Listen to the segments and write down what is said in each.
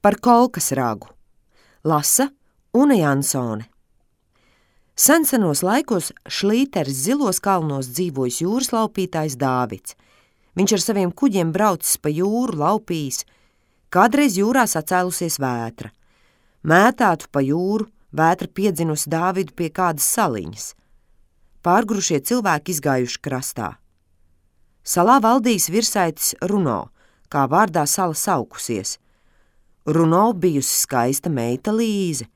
Par kolkas ragu. Lasa Une Jansone. Sensenos laikos Šlīteres zilos kalnos dzīvojis jūras laupītājs Dāvids. Viņš ar saviem kuģiem braucis pa jūru, laupījis. Kādreiz jūrā sacēlusies vētra. Mētātu pa jūru, vētra piedzinusi Dāvidu pie kādas saliņas. Pārgurušie cilvēki izgājuši krastā. Salā valdījis virsaitis Runo, kā vārdā sala saukusies. Runo bijusi skaista meita Līze.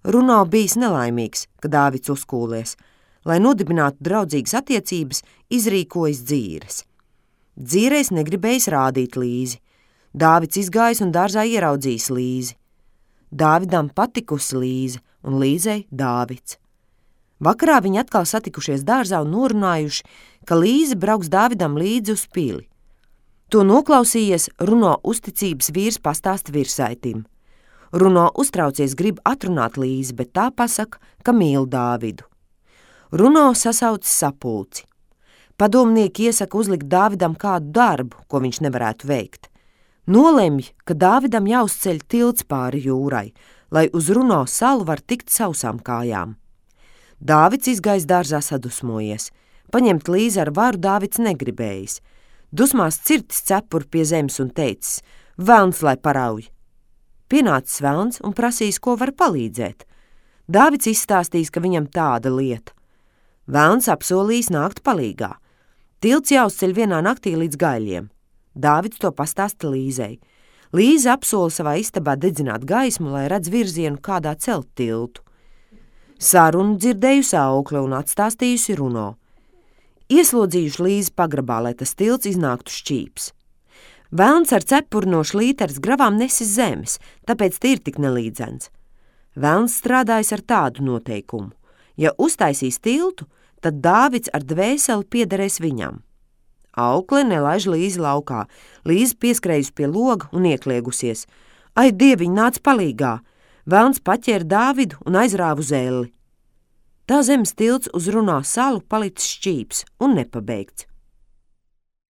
Runo bijis nelaimīgs, ka Dāvids uzkūlies, lai nodibinātu draudzīgas attiecības, izrīkojas dzīres. Dzīreiz negribējis rādīt Līzi. Dāvids izgājis un dārzā ieraudzījis Līzi. Dāvidam patikusi Līze un Līzei Dāvids. Vakarā viņi atkal satikušies dārzā un norunājuši, ka Līze brauks Dāvidam līdzi uz pili. To noklausījies, Runo uzticības vīrs pastāsta virsaitim. Runo uztraucies grib atrunāt Līzi, bet tā pasaka, ka mīl Dāvidu. Runo sasauc sapulci. Padomnieki iesaka uzlikt Dāvidam kādu darbu, ko viņš nevarētu veikt. Nolemj, ka Dāvidam jāuzceļ tilts pāri jūrai, lai uz Runo salu var tikt sausām kājām. Dāvids izgājis dārzā sadusmojies. Paņemt Līzi ar varu Dāvids negribējis. Dusmās cirtis cepuri pie zemes un teicis: velns, lai parauj. Pienācis velns un prasīs, ko var palīdzēt. Dāvids izstāstīs, ka viņam tāda lieta. Velns apsolījis nākt palīgā. Tilts jāuzceļ vienā naktī līdz Gaļiem. Dāvids to pastāsta Līzei. Līze apsola savā istabā dedzināt gaismu, lai redz virzienu, kādā celt tiltu. Sarunu dzirdējusi Aukle un atstāstījusi Runo. Ieslodzījuši Līzi pagrabā, lai tas tilts iznāktu šķīps. Velns ar cepuri no Šlīteres gravām nesis zemes, tāpēc tie ir tik nelīdzens. Velns strādājis ar tādu noteikumu: ja uztaisīs tiltu, tad Dāvids ar dvēseli piederēs viņam. Aukle nelaiž Līzi laukā. Līzi pieskrējusi pie loga un iekliegusies. Ai, dieviņ, nāc palīgā! Velns paķēra Dāvidu un aizrāva uz elli. Tā zemes tilts uz Runo salu palicis šķīps un nepabeigts.